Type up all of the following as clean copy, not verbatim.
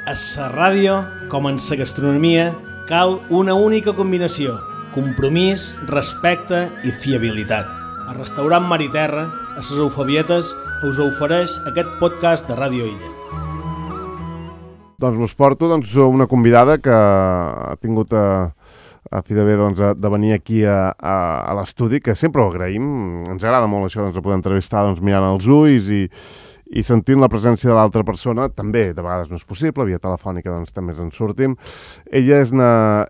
A la ràdio, com en la gastronomia, cal una única combinació: compromís, respecte i fiabilitat. El restaurant Mar i Terra, a les Eufabietes, us ofereix aquest podcast de Ràdio Illa. Doncs us porto una convidada que ha tingut a fi de bé de venir aquí a l'estudi, que sempre ho agraïm. Ens agrada molt això de poder entrevistar mirant als ulls i sentint la presència de l'altra persona. També, de vegades no és possible, via telefònica també ens en sortim. Ella és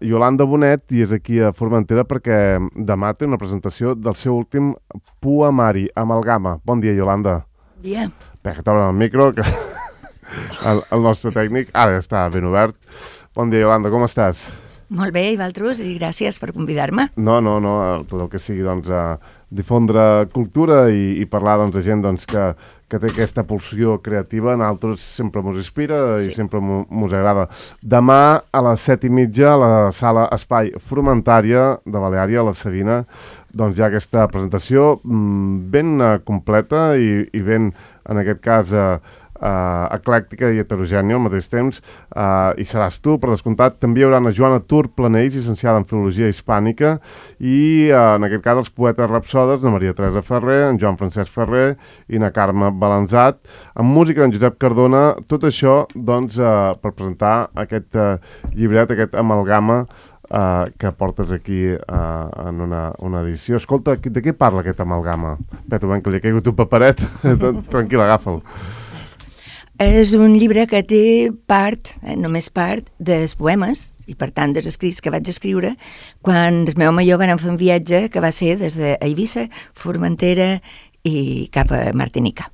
Yolanda Bonet i és aquí a Formentera perquè demà té una presentació del seu últim poemari, Amalgama. Bon dia, Yolanda. Bon dia. Bé, que t'obren el micro, que el nostre tècnic ara està ben obert. Bon dia, Yolanda, com estàs? Molt bé, i vosaltres, i gràcies per convidar-me. No, tot el que sigui difondre cultura i parlar de gent que té aquesta pulsió creativa. A nosaltres sempre mos inspira i sempre mos agrada. Demà a les 7:30 a la sala Espai Frumentària de Baleària, a la Sabina, hi ha aquesta presentació ben completa i ben, en aquest cas, eclèctica i heterogènia al mateix temps, i seràs tu, per descomptat. També hi haurà a Joana Tur Planells, llicenciada en Filologia Hispànica, i en aquest cas els poetes rapsodes, na Maria Teresa Ferrer, en Joan Francesc Ferrer i na Carme Balanzat, amb música d'en Josep Cardona. Tot això, per presentar aquest llibret, aquest Amalgama, que portes aquí en una edició. Escolta, de què parla aquest Amalgama? Espera, que li ha caigut un paperet. Tranquil, agafa'l. És un llibre que té part, només part, dels poemes, i per tant dels escrits que vaig escriure quan el meu home i jo vam fer un viatge que va ser des d'Eivissa, Formentera i cap a Martinica.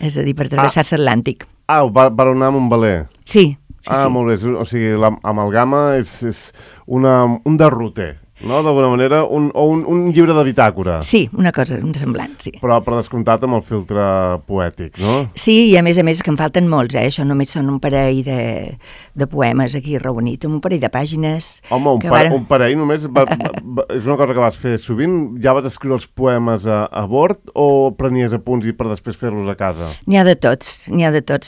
És a dir, per travessar l'Atlàntic. Va anar amb un veler. Sí. Molt bé. O sigui, l'Amalgama és un derroter, no? D'alguna manera, un llibre de bitàcora. Sí, una cosa, un semblant, sí. Però per descomptat amb el filtre poètic, no? Sí, i a més que en falten molts, Això només són un parell de poemes aquí reunits, amb un parell de pàgines. Home, un parell només? És una cosa que vas fer sovint? Ja vas escriure els poemes a bord o prenies apunts i per després fer-los a casa? N'hi ha de tots.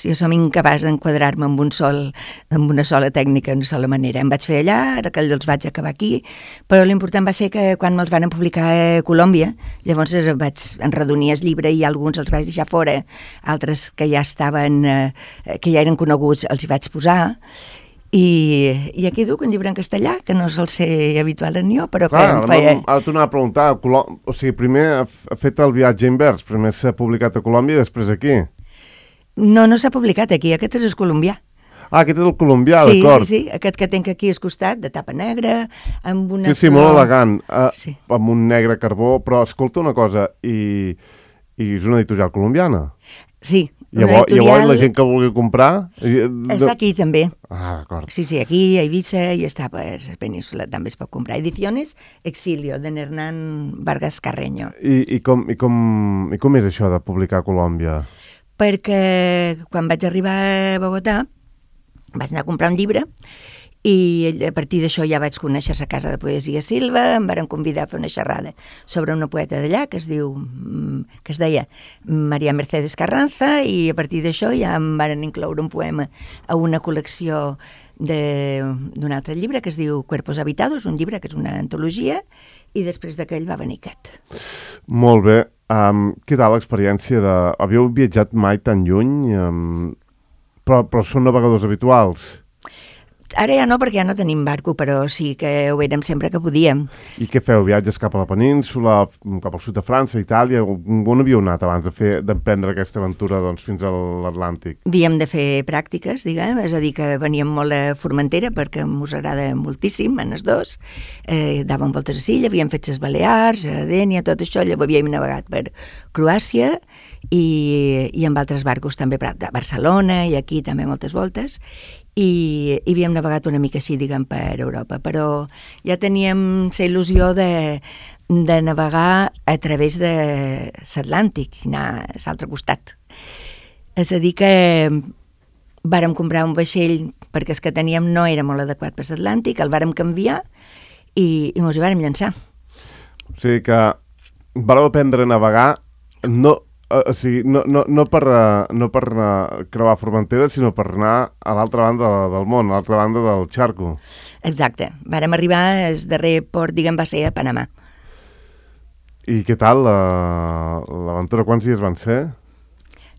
Jo som incapaç d'enquadrar-me amb una sola tècnica, una sola manera. Em vaig fer allà, ara que els vaig acabar aquí, però l'important va ser que quan me'ls van publicar a Colòmbia, llavors vaig enredonir el llibre i alguns els vaig deixar fora, altres que ja estaven, que ja eren coneguts, els hi vaig posar, i aquí duc un llibre en castellà, que no sol ser habitual en jo, però que em feia... Ara t'ho anava a preguntar, o sigui, primer ha fet el viatge invers, primer s'ha publicat a Colòmbia i després aquí. No s'ha publicat aquí, aquest és el colombià. Aquest és el colombià, d'acord. Sí, aquest que tenc aquí al costat, de tapa negra, amb una... Sí, molt elegant, amb un negre carbó, però escolta una cosa, i és una editorial colombiana? Sí, Llavors la gent que vulgui comprar... Està aquí també. D'acord. Sí, aquí a Eivissa i està per la península, també es pot comprar. Ediciones Exilio, de Hernán Vargas Carreño. I com és això de publicar a Colòmbia? Perquè quan vaig arribar a Bogotà, vaig anar a comprar un llibre i a partir d'això ja vaig conèixer la Casa de Poesia Silva, em varen convidar a fer una xerrada sobre una poeta d'allà que es deia María Mercedes Carranza, i a partir d'això ja em varen incloure un poema a una col·lecció d'un altre llibre que es diu Cuerpos Habitados, un llibre que és una antologia, i després d'aquell va venir aquest. Molt bé. Què tal l'experiència de... Havíeu viatjat mai tan lluny? Però són navegadors habituals? Ara ja no, perquè ja no tenim barco, però sí que ho érem sempre que podíem. I què feu? Viatges cap a la península, cap al sud de França, Itàlia? On havíeu anat abans d'emprendre aquesta aventura fins a l'Atlàntic? Havíem de fer pràctiques, diguem, és a dir, que veníem molt a Formentera, perquè ens agrada moltíssim, en els dos. Dàvem voltes a Silla, havíem fet les Balears, a Dénia, tot això, llavors havíem navegat per Croàcia i amb altres barcos també a Barcelona i aquí també moltes voltes, i havíem navegat una mica així, diguem, per Europa, però ja teníem la il·lusió de navegar a través de l'Atlàntic i anar a l'altre costat. És a dir que vàrem comprar un vaixell perquè el que teníem no era molt adequat per l'Atlàntic, el vàrem canviar i ens hi vàrem llançar. O sigui que vareu aprendre a navegar no O sigui, no per creuar Formentera, sinó per anar a l'altra banda del món, a l'altra banda del xarco. Exacte. Vàrem arribar, el darrer port, diguem, va ser a Panamà. I què tal l'aventura? Quants dies van ser?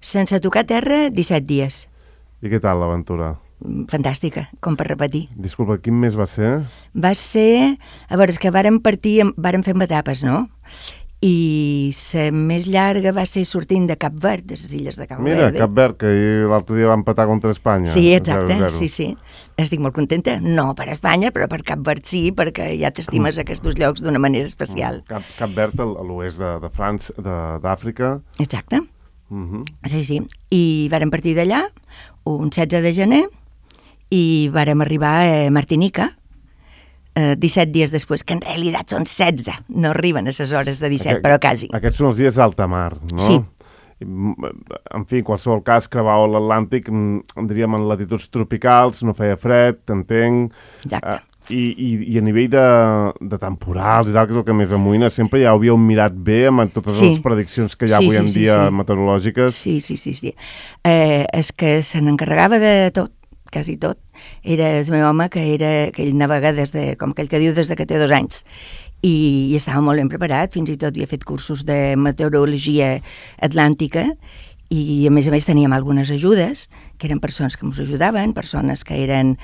Sense tocar terra, 17 dies. I què tal l'aventura? Fantàstica, com per repetir. Disculpa, quin mes va ser? Va ser... A veure, és que vàrem fer etapes, no? I la més llarga va ser sortint de Cap Verd, de les illes de Cap Verd. Mira, Cap Verd, que l'altre dia va empatar contra Espanya. Sí, exacte, 0-0. sí. Estic molt contenta, no per Espanya, però per Cap Verd sí, perquè ja t'estimes aquests llocs d'una manera especial. Cap Verd, a l'oest de França, d'Àfrica. Exacte. Sí. I vàrem partir d'allà un 16 de gener i vàrem arribar a Martinica 17 dies després, que en realitat són 16, no arriben a les hores de 17, però quasi. Aquests són els dies d'alta mar, no? Sí. En fi, en qualsevol cas, creuar l'Atlàntic, diríem en latituds tropicals, no feia fred, t'entenc. Exacte. I a nivell de temporals i tal, que és el que més amoïna, sempre ja ho havíeu mirat bé amb totes les prediccions que hi ha avui en dia meteorològiques. Sí. És que se n'encarregava de tot, quasi tot. Era el meu home que ell navega com aquell que diu des que té 2 anys. I estava molt ben preparat, fins i tot havia fet cursos de meteorologia atlàntica i a més teníem algunes ajudes, que eren persones que ens ajudaven, persones que eren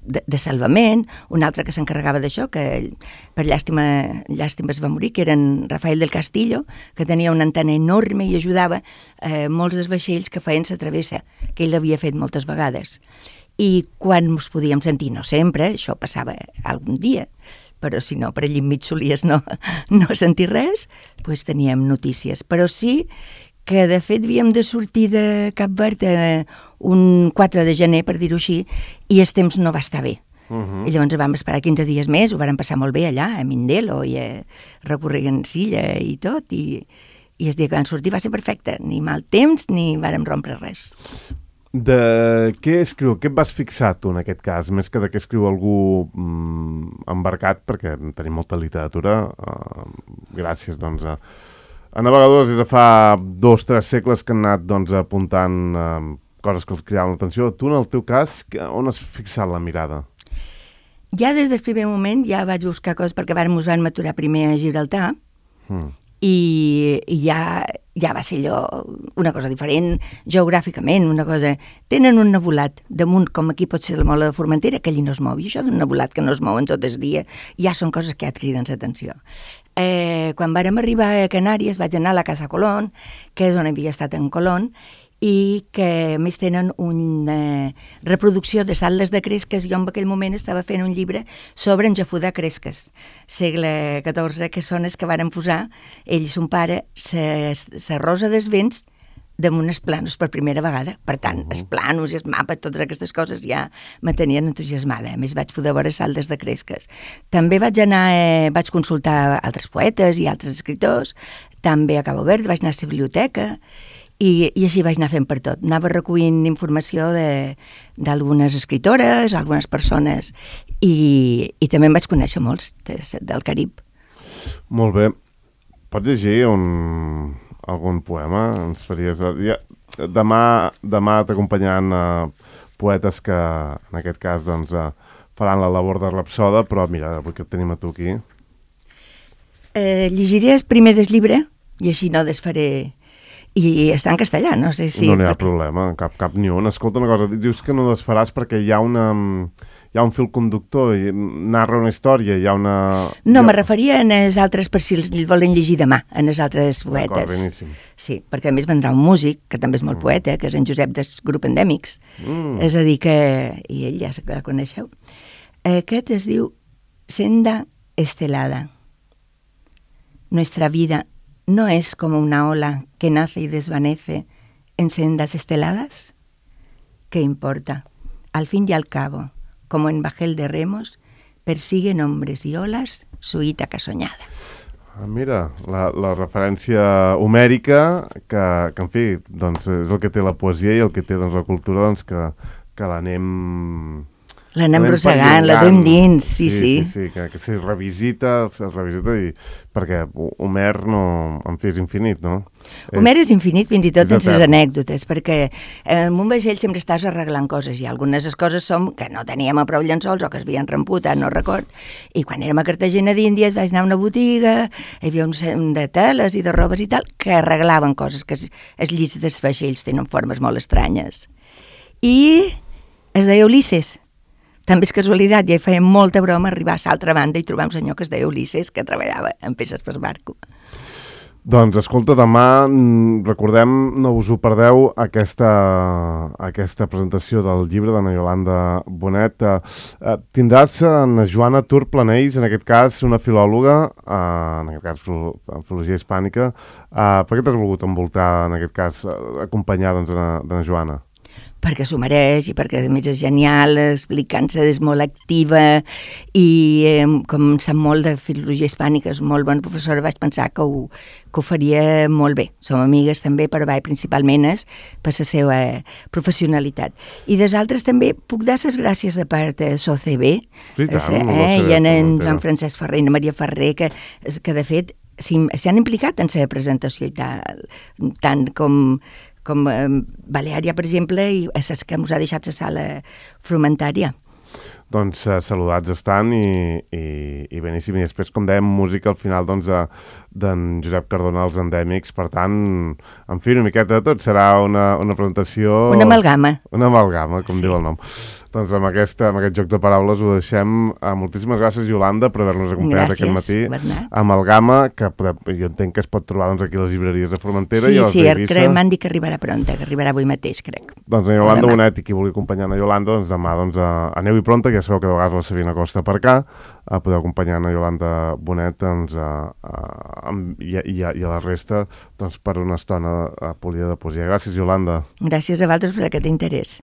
de salvament, un altre que s'encarregava d'això, que per llàstima es va morir, que eren Rafael del Castillo, que tenia una antena enorme i ajudava molts dels vaixells que feien la travessa, que ell l'havia fet moltes vegades. I quan ens podíem sentir, no sempre, això passava algun dia, però si no, per allà enmig solies no sentir res, doncs teníem notícies. Però sí que de fet havíem de sortir de Cap Verd un 4 de gener, per dir-ho així, i el temps no va estar bé. I llavors vam esperar 15 dies més, ho vàrem passar molt bé allà, a Mindelo, i a recorregant Silla i tot, i el dia que vam sortir va ser perfecte, ni mal temps ni vàrem rompre res. De què escriu? Què et vas fixar tu en aquest cas? Més que de què escriu algú embarcat, perquè tenim molta literatura, gràcies doncs a navegadors des de fa 2 o 3 segles que han anat doncs, apuntant coses que els cridaven l'atenció. Tu, en el teu cas, on has fixat la mirada? Ja des del primer moment ja vaig buscar coses, perquè ens van maturar primer a Gibraltar, i ja va ser allò una cosa diferent, geogràficament, una cosa... Tenen un nebulat damunt, com aquí pot ser la mola de Formentera, que allí no es mou, i això d'un nebulat que no es mouen tot el dia, ja són coses que ja et criden l'atenció. Quan vàrem arribar a Canàries vaig anar a la Casa Colón, que és on havia estat en Colón, i que a més tenen una reproducció de saldes de cresques. Jo en aquell moment estava fent un llibre sobre en Jafudà Cresques, segle XIV, que són els que varen posar, ell i son pare, la rosa dels vents damunt els plànols per primera vegada. Per tant, els plànols i els mapes, totes aquestes coses ja me tenien entusiasmada. A més, vaig poder veure saldes de cresques. També vaig consultar altres poetes i altres escriptors, també a Cabo Verde, vaig anar a la biblioteca, i així vaig anar fent per tot. Anava recollint informació d'algunes escritores, algunes persones, i també em vaig conèixer molts del Carib. Molt bé. Pots llegir algun poema? Ens faries... Demà t'acompanyaran poetes que, en aquest cas, doncs, faran la labor de rapsoda, però mira, avui que et tenim a tu aquí. Llegiré el primer del llibre, i així no desfaré... I està en castellà, no sé si... No n'hi ha problema, cap ni un. Escolta una cosa, dius que no desfaràs perquè hi ha un fil conductor, i narra una història, hi ha una... No, me referia en els altres, per si els volen llegir demà, en els altres poetes. D'acord, beníssim. Sí, perquè a més vendrà un músic, que també és molt poeta, que és en Josep del grup Endèmics. És a dir que... I ell ja la coneixeu. Aquest es diu Senda Estelada. Nuestra vida ¿no es como una ola que nace y desvanece en sendas esteladas? ¿Qué importa? Al fin y al cabo, como en bajel de remos, persiguen hombres y olas su Ítaca soñada. Mira, la referència homèrica, que en fi, doncs és el que té la poesia i el que té doncs, la cultura, doncs, que l'anem L'anem rossegant, la duem dins, sí. Sí, que s'hi revisita, perquè Homer no, en fi, és infinit, no? Homer és infinit fins i tot en les anècdotes, perquè en un vaixell sempre estàs arreglant coses, i algunes de les coses som que no teníem a prou llençols o que es havien remputat, no record, i quan érem a Cartagena d'Índies vaig anar a una botiga, hi havia un de teles i de robes i tal, que arreglaven coses, que els llits dels vaixells tenen formes molt estranyes. I es deia Ulisses. També és casualitat, ja hi feia molta broma arribar a l'altra banda i trobar un senyor que es deia Ulisses, que treballava en peces per barco. Doncs, escolta, demà, recordem, no us ho perdeu, aquesta presentació del llibre de na Iolanda Bonet. Tindràs na Joana Tur Planells, en aquest cas una filòloga, en aquest cas filologia hispànica. Per què t'has volgut envoltar, en aquest cas, acompanyar de na Joana? Perquè s'ho mereix i perquè a més és genial, explicant-se, és molt activa i com sap molt de filologia hispànica, és molt bona professora, vaig pensar que ho faria molt bé. Som amigues també, però principalment és per la seva professionalitat. I des altres també puc dar les gràcies de part de SOCB, i en Joan Francesc Ferrer i na Maria Ferrer, que de fet s'han implicat en la presentació i tant com Baleària, per exemple, i és que ens ha deixat la sala Frumentària. Doncs saludats estan i beníssim. I després, com dèiem, música al final d'en Josep Cardona, els Endèmics. Per tant, en fi, una miqueta de tot. Serà una presentació... Una amalgama. Una amalgama, com diu el nom. Doncs amb aquest joc de paraules ho deixem. Moltíssimes gràcies, Iolanda, per haver-nos acompanyat aquest matí. Bernat. Amalgama, que jo entenc que es pot trobar aquí a les llibreries de Formentera i a les d'Eivissa. Sí, m'han dit que arribarà pronta, que arribarà avui mateix, crec. Doncs a Iolanda Bonet, i qui vulgui acompanyar a Iolanda, doncs demà aneu-hi pronta, que ja sabeu que de vegades la Sabina Costa per cá, podeu acompanyar a Iolanda Bonet i a la resta per una estona polida de poesia. Gràcies, Iolanda. Gràcies a vosaltres per aquest interès.